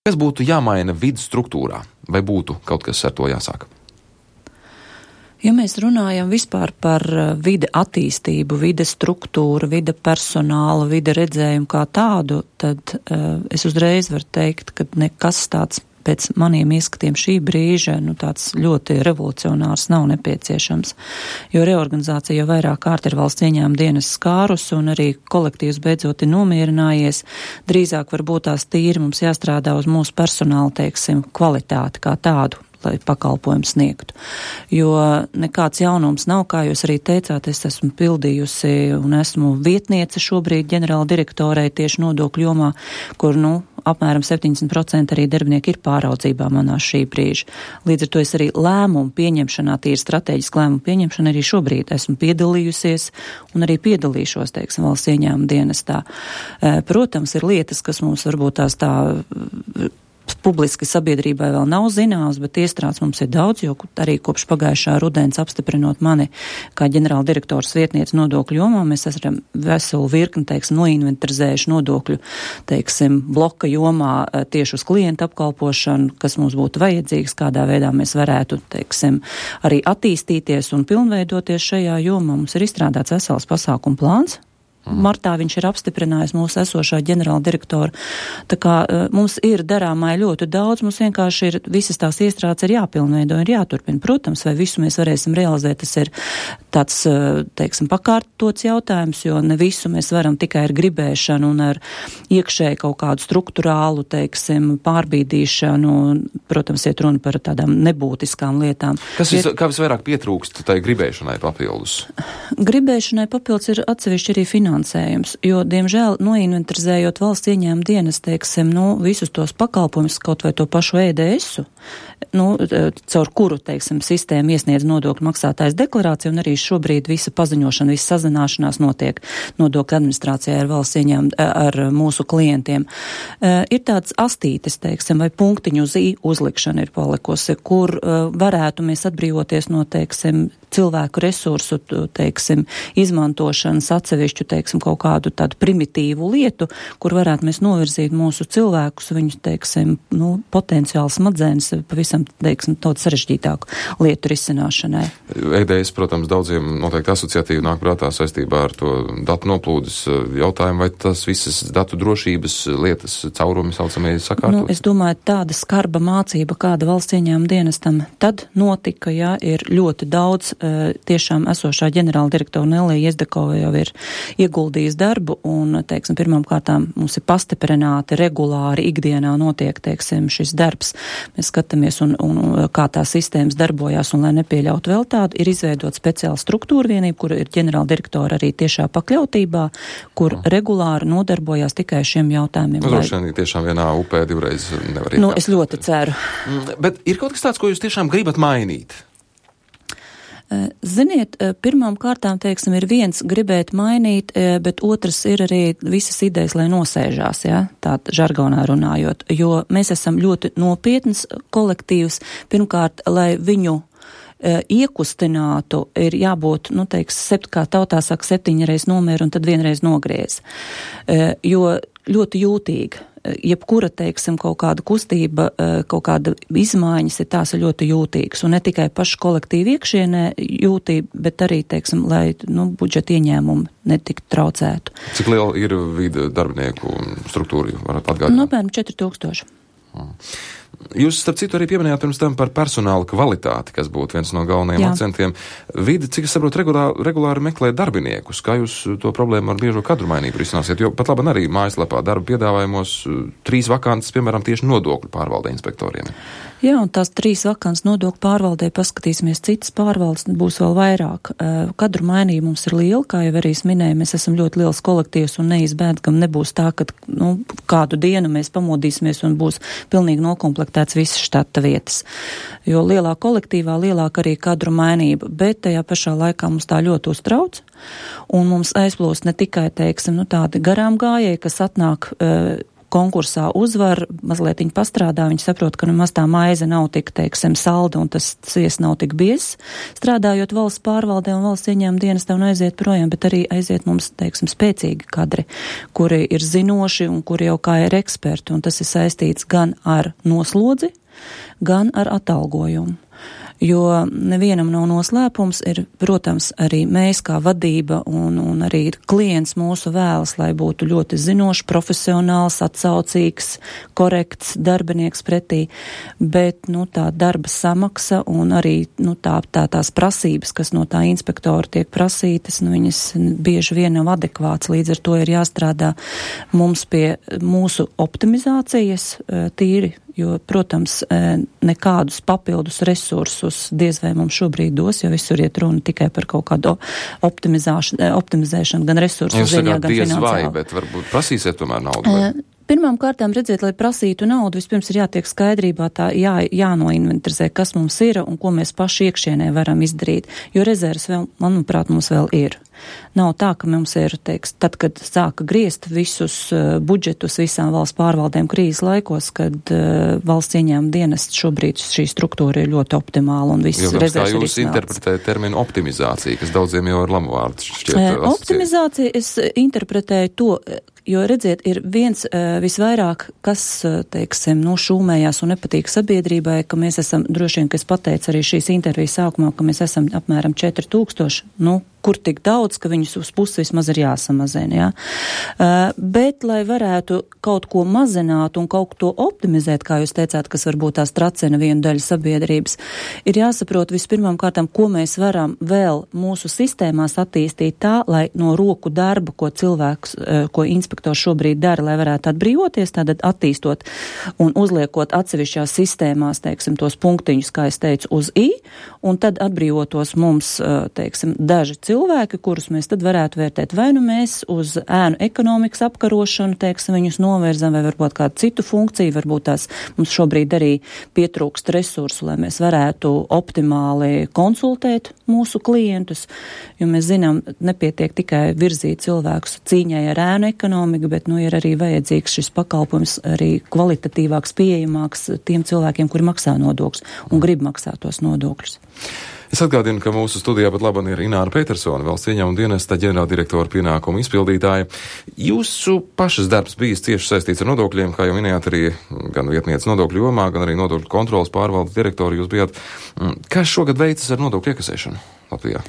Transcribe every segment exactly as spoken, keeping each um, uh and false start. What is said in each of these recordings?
Kas būtu jāmaina vidas struktūrā? Vai būtu kaut kas ar to jāsāk? Ja mēs runājam vispār par vide attīstību, vide struktūru, vide personālu, vide redzējumu kā tādu, tad uh, es uzreiz varu teikt, ka nekas tāds pēc maniem ieskatiem šī brīža, nu tāds ļoti revolucionārs nav nepieciešams, jo reorganizācija jau vairāk kārt ir valsts ieņēmuma dienas skārus un arī kolektīvs beidzot ir nomierinājies. Drīzāk varbūt tās tīri mums jāstrādā uz mūsu personāla, teiksim, kvalitāti kā tādu, lai pakalpojumu sniegtu. Jo nekāds jaunums nav, kā jūs arī teicāt, es esmu pildījusi un esmu vietniece šobrīd ģenerāla direktorei tieši nodokļu jomā, kur, nu, apmēram septiņdesmit procenti arī darbinieki ir pāraudzībā manā šī brīža. Līdz ar to es arī lēmumu pieņemšanā, tīri strateģiski lēmumu pieņemšana arī šobrīd esmu piedalījusies un arī piedalīšos, teiksim, valsts ieņēmuma dienestā. Protams, ir lietas, kas mums varbūt tās tā publiski sabiedrībai vēl nav zināms, bet iestrādes mums ir daudz, jo arī kopš pagājušā rudens apstiprinot mani kā ģenerāla direktors vietniece nodokļu jomā, mēs esam veselu virkni, teiksim, noinventarizējuši nodokļu, teiksim, bloka jomā tieši uz klientu apkalpošanu, kas mums būtu vajadzīgs, kādā veidā mēs varētu, teiksim, arī attīstīties un pilnveidoties šajā jomā. Mums ir izstrādāts vesels pasākumu plāns. Martā viņš ir apstiprinājis mūsu esošā ģenerāla direktora. Tā kā uh, mums ir darāmai ļoti daudz, mums vienkārši ir visas tās iestrādes ir jāpilnveido, ir jāturpina. Protams, vai visu mēs varēsim realizēt, tas ir tāds, uh, teiksim, pakārtots jautājums, jo ne visu mēs varam tikai ar gribēšanu un ar iekšēju kaut kādu struktūrālu, teiksim, pārbīdīšanu, protams, iet runa par tādām nebūtiskām lietām. Kas vis, ir, kā visvairāk pietrūkst tai gribēšanai papildus? Gribēšanai papildus ir atsevišķi arī finansējums. Jo, diemžēl, noinventarizējot valsts ieņēmuma dienas, teiksim, nu, visus tos pakalpojumus, kaut vai to pašu E D S-u, nu, caur kuru, teiksim, sistēma iesniedz nodokļu maksātājs deklarāciju, un arī šobrīd visa paziņošana, visa sazināšanās notiek nodokļu administrācijā ar valsts ieņēmuma, ar mūsu klientiem. Uh, ir tāds astītes, teiksim, vai punktiņu uz I uzlikšana ir palikusi, kur uh, varētu mēs atbrīvoties no, teiksim, cilvēku resursu, teiksim, izmantošanas atsevišķu, teiksim, kaut kādu tādu primitīvu lietu, kur varētu mēs novirzīt mūsu cilvēkus, viņu, teiksim, nu, potenciāli smadzenes pavisam, teiksim, daudz sarežģītāku lietu risināšanai. E D S, protams, daudziem noteikti asociatīvi nāk prātā saistībā ar to datu noplūdes jautājumu, vai tas visas datu drošības lietas caurumi saucamie sakārtot? Nu, es domāju, tāda skarba mācība, kāda valsts ieņēmuma dienestam tad notika, ja ir ļoti daudz tiešām esošā ģenerāla direktora Nelija Jezdekova jau ir ieguldījis darbu un, teiksim, pirmām kārtām mums ir pastiprināti, regulāri, ikdienā notiek, teiksim, šis darbs. Mēs skatāmies un, un kā tā sistēmas darbojās un, lai nepieļautu vēl tādu, ir izveidot speciāla struktūra vienība, kur ir ģenerāla direktora arī tiešā pakļautībā, kur mm. regulāri nodarbojās tikai šiem jautājumiem. Nu, droši vien tiešām vienā upē divreiz nevar iekāpt. Nu, es ļoti ceru. Bet ir kaut kas tāds, ko jūs tiešām gribat mainīt? Ziniet, pirmām kārtām, teiksim, ir viens gribēt mainīt, bet otrs ir arī visas idejas, lai nosēžās, ja, tā žargonā runājot, jo mēs esam ļoti nopietns kolektīvs. Pirmkārt, lai viņu iekustinātu, ir jābūt, nu, teiks, sept, kā tautā saka, septiņreiz nomēr un tad vienreiz nogriez. Jo ļoti jūtīgi. Jebkura, teiksim, kaut kāda kustība, kaut kāda izmaiņas ir tās ir ļoti jūtīgas. Un ne tikai pašu kolektīvu iekšienē jūtība, bet arī, teiksim, lai, nu, budžeta ieņēmumi netiktu traucētu. Cik liela ir vide darbinieku struktūra, varat atgādināt? Nu, apmēram četri tūkstoši. Hmm. Jūs, starp citu, arī pieminējāt pirms tam par personāla kvalitāti, kas būtu viens no galvenajiem Jā. akcentiem. Vide, cik es saprotu, regulāri, regulāri meklē darbiniekus. Kā jūs to problēmu ar biežo kadru mainību risināsiet? Jo pat labi arī mājaslapā darba piedāvājumos trīs vakances, piemēram, tieši nodokļu pārvalde inspektoriem. Jā, un tās trīs vakances nodokļu pārvaldē paskatīsimies citas pārvaldes, būs vēl vairāk. Kadru mainība mums ir liela, kā jau arī es minēju, mēs esam ļoti liels kolektīvs un neizbēgam nebūs tā, ka, nu, kādu dienu mēs pamodīsimies un būs pilnīgi nokomplektēts visas štata vietas. Jo lielāk kolektīvā, lielāk arī kadru mainība, bet tajā pašā laikā mums tā ļoti uztrauc. Un mums aizplūst ne tikai, teiksim, nu, tādi garām gājēji, kas atnāk uh, konkursā uzvar, mazliet viņi pastrādā, viņi saprot, ka nemaz tā maize nav tik, teiksim, salda un tas svies nav tik biezs, strādājot valsts pārvaldē un valsts ieņēmuma dienestā un aiziet projām, bet arī aiziet mums, teiksim, spēcīgi kadri, kuri ir zinoši un kuri jau kā ir eksperti, un tas ir saistīts gan ar noslodzi, gan ar atalgojumu. Jo nevienam nav noslēpums, ir, protams, arī mēs kā vadība un, un arī klients mūsu vēlas, lai būtu ļoti zinošs, profesionāls, atsaucīgs, korekts darbinieks pretī, bet, nu, tā darba samaksa un arī, nu, tā, tā tās prasības, kas no tā inspektora tiek prasītas, nu, viņas bieži vien nav adekvāts, līdz ar to ir jāstrādā mums pie mūsu optimizācijas tīri, jo, protams, nekādus papildus resursus diez vai mums šobrīd dos, jo visur iet runa tikai par kaut kādu optimizēšanu, gan resursu ziņā, gan finansiāli. Diez vai, bet varbūt prasīsiet tomēr naudu? Vai? Pirmām kārtām redzēt, lai prasītu naudu, vispirms ir jātiek skaidrībā, tā jā, jānoinventarizē, kas mums ir un ko mēs paši iekšienē varam izdarīt, jo rezerves vēl, manuprāt, mums vēl ir. Nav tā, ka mums ir, teiks, tad, kad sāka griezt visus uh, budžetus visām valsts pārvaldēm krīzes laikos, kad uh, valsts ieņēmuma dienests šobrīd šī struktūra ir ļoti optimāla un viss rezerves ir izsmelts. Kā jūs interpretējat terminu optimizācija, kas daudziem jau ir lamuvārds šķiet? Uh, optimizācija, es interpretēju to, jo, redziet, ir viens uh, visvairāk, kas, uh, teiksim, nu, šūmējās un nepatīk sabiedrībai, ka mēs esam, droši vien, ka es pateicu arī šīs intervijas sākumā, ka mēs esam apmēram četri tūkstoši, nu, kur tik daudz, ka viņus uz pusi vismaz ir jāsamazina, jā. Uh, bet, lai varētu kaut ko mazināt un kaut ko optimizēt, kā jūs teicāt, kas varbūt tās tracina vienu daļu sabiedrības, ir jāsaprot vispirmām kārtām, ko mēs varam vēl mūsu sistēmās attīstīt tā, lai no roku darba, ko cilvēks, uh, ko inspektors šobrīd dara, lai varētu atbrīvoties, tātad attīstot un uzliekot atsevišķās sistēmās, teiksim, tos punktiņus, kā es teicu, uz I, un tad atbrīvotos mums, uh, teiksim, daži cilvēki, kurus mēs tad varētu vērtēt. Vai nu mēs uz ēnu ekonomikas apkarošanu, teiksim, viņus novirzam, vai varbūt kādu citu funkciju, varbūt tās mums šobrīd arī pietrūkst resursu, lai mēs varētu optimāli konsultēt mūsu klientus, jo mēs zinām, nepietiek tikai virzīt cilvēkus cīņai ar ēnu ekonomiku, bet, nu, ir arī vajadzīgs šis pakalpojums arī kvalitatīvāks, pieejamāks tiem cilvēkiem, kuri maksā nodokļus un grib maksāt tos nodokļus. Es atgādinu, ka mūsu studijā pat labam ir Ināra Petersone, valsts ieņēmuma dienesta ģenerāldirektora pienākumu izpildītāja. Jūsu pašas darbs bijis cieši saistīts ar nodokļiem, kā jau minējāt, arī gan vietnieces nodokļu jomā, gan arī nodokļu kontrolas pārvaldes direktori jūs bijāt. Kas šogad veicas ar nodokļu iekasēšanu Latvijā?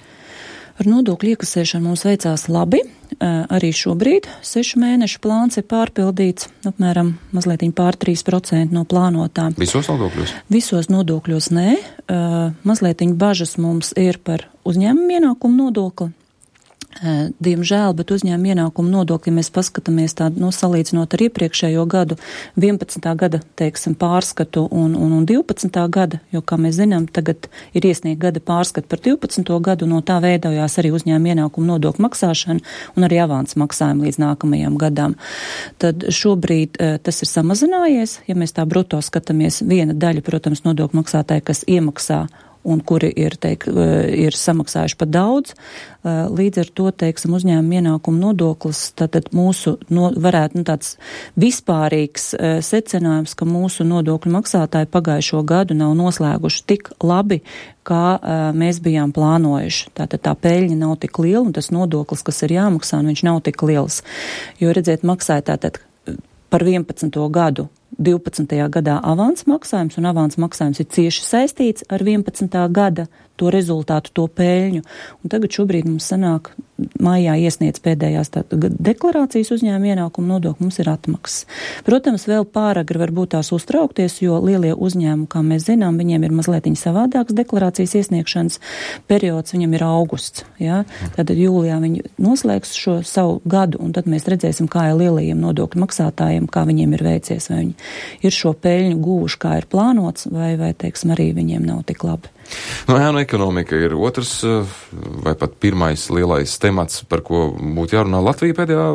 Ar nodokļu iekasēšanu mums veicās labi. Arī šobrīd sešu mēnešu plāns ir pārpildīts, apmēram mazliet pār trīs procenti no plānotā. Visos nodokļos? Visos nodokļos nē. Mazliet bažas mums ir par uzņēmumu ienākumu nodokli. Diemžēl, bet uzņēmuma ienākumu nodokļi mēs paskatāmies tādu, no salīdzinot ar iepriekšējo gadu, vienpadsmitā gada, teiksim, pārskatu un, un, un divpadsmitā gada, jo, kā mēs zinām, tagad ir iesniegt gada pārskatu par divpadsmito gadu, no tā veidojās arī uzņēmuma ienākumu nodokļu maksāšana un arī avans maksājumi līdz nākamajām gadām. Tad šobrīd tas ir samazinājies, ja mēs tā bruto skatāmies, viena daļa, protams, nodokļu maksātāji, kas iemaksā un kuri ir, teik, ir samaksājuši pa daudz. Līdz ar to, teiksim, uzņēmuma ienākumu nodoklis, tātad mūsu, no, varētu, nu, tāds vispārīgs secinājums, ka mūsu nodokļu maksātāji pagājušo gadu nav noslēguši tik labi, kā mēs bijām plānojuši. Tātad tā peļņa nav tik liela, un tas nodoklis, kas ir jāmaksā, viņš nav tik liels. Jo, redziet, maksāja tātad par vienpadsmito gadu divpadsmitajā gadā avans maksājums, un avans maksājums ir cieši saistīts ar vienpadsmitā gada to rezultātu, to peļņu. Un tagad šobrīd mums sanāk, maijā iesniedz pēdējās deklarācijas uzņēmuma ienākumu nodokļu, mums ir atmaksas. Protams, vēl pāragri varbūt tās uztraukties, jo lielie uzņēmumi, kā mēs zinām, viņiem ir mazliet savādāks deklarācijas iesniegšanas periods, viņam ir augusts. Ja? Tad jūlijā viņi noslēgs šo savu gadu, un tad mēs redzēsim, kā ir lielajiem nodokļu maksātājiem, kā viņiem ir veicies, vai viņi ir šo peļņu gūši, kā ir plānots, vai, vai teiksim, arī viņiem nav tik labi. No, ēnu ekonomika ir otrs vai pat pirmais lielais temats, par ko būtu jārunā. Latvija pēdējā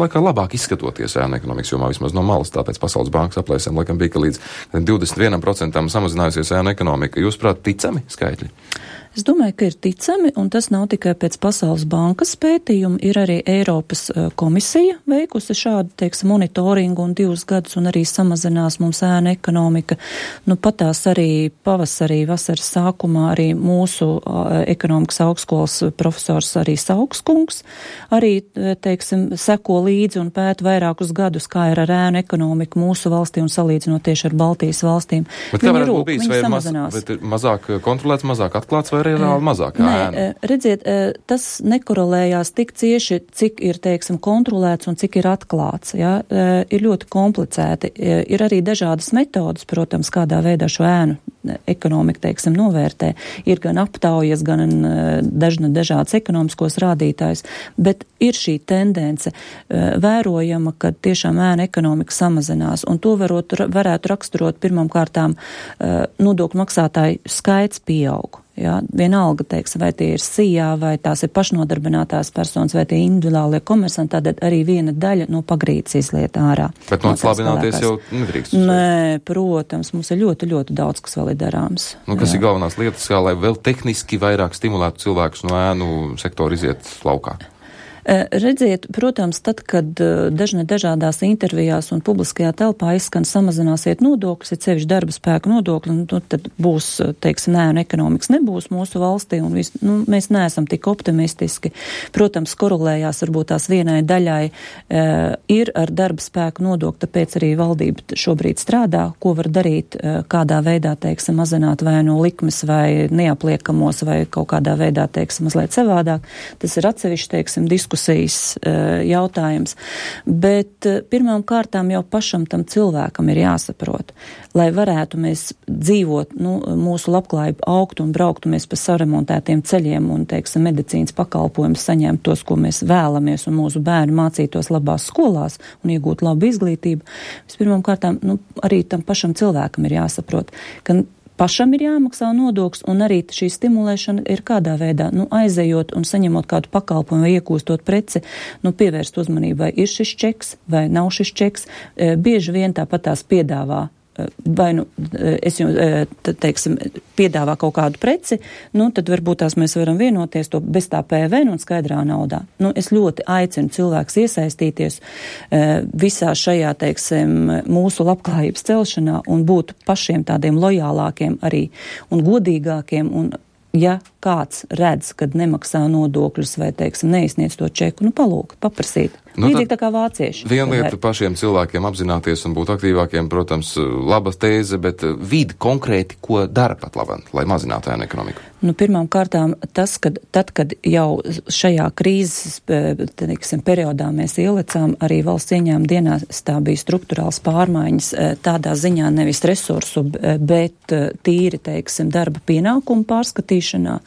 laikā labāk izskatoties ēnu ekonomikas jomā, vismaz no malas, tāpēc Pasaules bankas aplēsēm laikam bija, ka līdz divdesmit vienam procentam samazinājusies ēnu ekonomika. Jūs prāt, ticami skaitļi? Es domāju, ka ir ticami, un tas nav tikai pēc Pasaules bankas pētījuma, ir arī Eiropas komisija veikusi šādu, teiksim, monitoringu un divus gadus, un arī samazinās mums ēna ekonomika. Nu, patās arī pavasarī, vasaras sākumā arī mūsu ekonomikas augstskolas profesors arī Saukskungs arī, teiksim, seko līdzi un pēta vairākus gadus, kā ir ar ēnu ekonomiku mūsu valstī un salīdzinot tieši ar Baltijas valstīm. Bet kā varētu būt bijis, vai ir maz, mazāk kontrolēts, mazāk atklāts, vai reāli mazāk ēna? Nē, redziet, tas nekorelējās tik cieši, cik ir, teiksim, kontrolēts un cik ir atklāts. Ja? Ir ļoti komplicēti. Ir arī dažādas metodas, protams, kādā veidā šo ēnu ekonomika, teiksim, novērtē. Ir gan aptaujas, gan dažna dažādas ekonomiskos rādītājs, bet ir šī tendence vērojama, ka tiešām ēna ekonomika samazinās, un to varot, varētu raksturot pirmām kārtām nodokļu maksātāju skaits pieaug. Jā, vienalga, teiksim, vai tie ir sijā, vai tās ir pašnodarbinātās personas, vai tie individuālie komersanti, tad arī viena daļa no pagrīdes izliet ārā. Bet no atslābināties jau nedrīkst. Nē, protams, mums ir ļoti, ļoti daudz, kas vēl ir darāms. Nu, kas jā. Ir galvenās lietas, kā lai vēl tehniski vairāk stimulētu cilvēkus no ēnu sektora iziet laukā? Redziet, protams, tad, kad dažne dažādās intervijās un publiskajā telpā izskan samazināsiet nodokļus, ir sevišķi darba spēka nodokļi, nu, tad būs, teiksim, nē, un ekonomikas nebūs mūsu valstī, un vis, nu, mēs neesam tik optimistiski. Protams, korelējās varbūt tās vienai daļai e, ir ar darba spēka nodokli, tāpēc arī valdība šobrīd strādā, ko var darīt, e, kādā veidā, teiksim, mazināt vai no likmes vai neapliekamos vai kaut kādā veidā, teiksim, mazliet savādāk. Tas ir atsevišķi, teiksim, diskusija jautājums, bet pirmām kārtām jau pašam tam cilvēkam ir jāsaprot, lai varētu mēs dzīvot, nu, mūsu labklājību augt un brauktu mēs pa saremontētiem ceļiem un, teiksim, medicīnas pakalpojumus saņemt tos, ko mēs vēlamies, un mūsu bērni mācītos labās skolās un iegūt labu izglītību. Vispirmām kārtām, nu, arī tam pašam cilvēkam ir jāsaprot, ka pašam ir jāmaksā nodoklis, un arī šī stimulēšana ir kādā veidā, nu, aizejot un saņemot kādu pakalpojumu vai iegūstot preci, nu, pievērst uzmanību, vai ir šis čeks, vai nav šis čeks. E, bieži vien tāpat tās piedāvā, vai, nu, es jums, tad, teiksim, piedāvā kaut kādu preci, nu, tad varbūt tās mēs varam vienoties to bez tā P V N un skaidrā naudā. Nu, es ļoti aicinu cilvēks iesaistīties visā šajā, teiksim, mūsu labklājības celšanā un būt pašiem tādiem lojālākiem arī un godīgākiem, un ja kāds redz, kad nemaksā nodokļus vai, teiksim, neizsniedz to čeku, nu, palūgt, paprasīt. Nu, līdzīgi tā kā vācieši. Viena lieta pašiem cilvēkiem apzināties un būt aktīvākiem, protams, laba tēze, bet vidi konkrēti, ko dara pat labāk, lai mazinātu ēnu ekonomiku? Nu, pirmām kārtām tas, kad tad, kad jau šajā krīzes, teiksim, periodā mēs ielecām, arī valsts ieņēmuma dienestā bija struktūrāls pārmaiņas tādā ziņā nevis resursu, bet tīri, teiksim, darba pienākumu pārskatīšanā.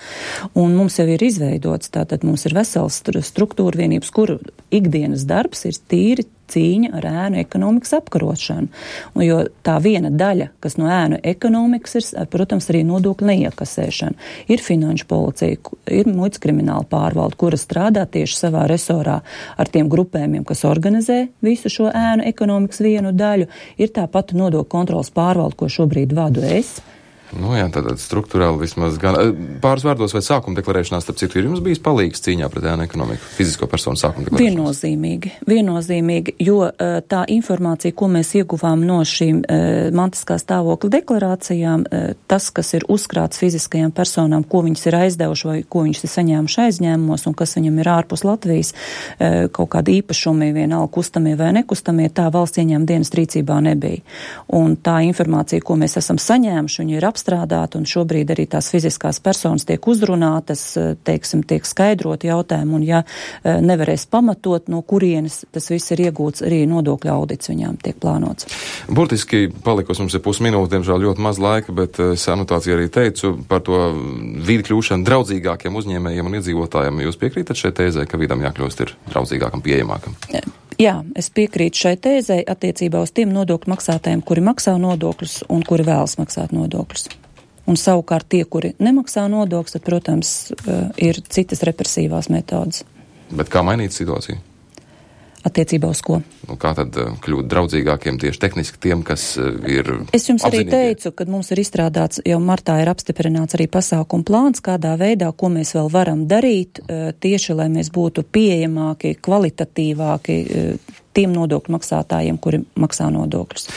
Un mums jau ir izveidots, tātad mums ir vesels struktūra vienības, kuru ikdienas darbs ir tīri cīņa ar ēnu ekonomikas apkarošanu. Un jo tā viena daļa, kas no ēnu ekonomikas ir, protams, arī nodokļu neiekasēšana. Ir finanšu policija, ir muitas krimināla pārvalde, kura strādā tieši savā resorā ar tiem grupējumiem, kas organizē visu šo ēnu ekonomikas vienu daļu. Ir tāpat nodokļu kontrolas pārvalde, ko šobrīd vadu es. Nu jā, tātad struktūrāli vismaz gan pāris vārdos vai sākuma deklarēšanās, starp citu, ir jums bijis palīgs cīņā pret ēnu ekonomiku, fizisko personu sākuma deklarēšanās? Viennozīmīgi, viennozīmīgi, jo tā informācija, ko mēs ieguvām no šīm mantiskā stāvokļa deklarācijām, tas, kas ir uzkrāts fiziskajām personām, ko viņas ir aizdevuši vai ko viņas ir saņēmuši aizņēmumos un kas viņam ir ārpus Latvijas, kaut kādi īpašumi, vienalga kustamie vai nekustamie, tā valsts ieņēmuma dienas rīcībā nebija. Un tā informācija, ko mēs esam saņēmuši, viņa ir apstrādāta, un šobrīd arī tās fiziskās personas tiek uzrunātas, teiksim, tiek skaidrot jautājumu, un ja nevarēs pamatot, no kurienes tas viss ir iegūts, arī nodokļu audits viņām tiek plānots. Burtiski palikos mums ir pusminūte, diemžēl ļoti maz laika, bet es anotāciju arī teicu par to vidi kļūšanu draudzīgākiem uzņēmējiem un iedzīvotājiem. Jūs piekrītat šai tēzē, ka vidam jākļūst ir draudzīgākam, pieejamākam? Jā, es piekrītu šai tēzei attiecībā uz tiem nodokļu maksātājiem, kuri maksā nodokļus un kuri vēlas maksāt nodokļus. Un savukārt tie, kuri nemaksā nodokļus, tad, protams, ir citas represīvās metodas. Bet kā mainīt situāciju? Attiecībā uz ko? Nu, kā tad kļūt draudzīgākiem tieši tehniski tiem, kas ir Es jums arī apzinīgi? teicu, ka mums ir izstrādāts, jau martā ir apstiprināts arī pasākumu plāns, kādā veidā, ko mēs vēl varam darīt, tieši, lai mēs būtu pieejamāki, kvalitatīvāki tiem nodokļu maksātājiem, kuri maksā nodokļus.